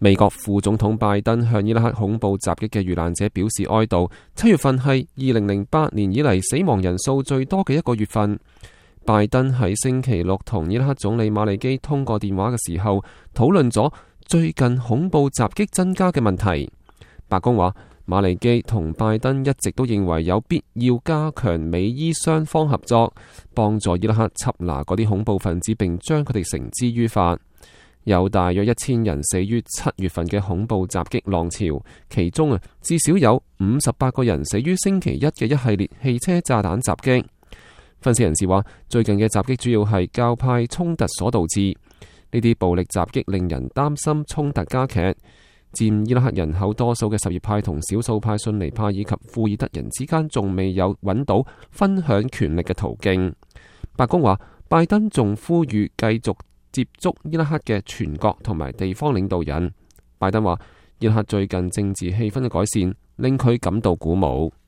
美國副總統拜登向伊拉克恐怖襲擊嘅遇難者表示哀悼。7月份係2008年以嚟死亡人數最多嘅一個月份。拜登喺星期六同伊拉克總理馬利基通過電話嘅時候，討論咗最近恐怖襲擊增加嘅問題。白宮話，馬利基同拜登一直都認為有必要加強美伊雙方合作，幫助伊拉克緝拿嗰啲恐怖分子，並將佢哋繩之於法。有大約1000人死於7月份嘅恐怖襲擊浪潮，其中至少有58個人死於星期一嘅一系列汽車炸彈襲擊。分析人士話，最近嘅襲擊主要係教派衝突所導致，呢啲暴力襲擊令人擔心衝突加劇。佔伊拉克人口多數嘅什葉派同少數派遜尼派以及庫爾德人之間仲未有揾到分享權力嘅途徑。白宮話，拜登仲呼籲繼續接觸伊拉克嘅全國同埋地方領導人。拜登話，伊拉克最近政治氣氛嘅改善令佢感到鼓舞。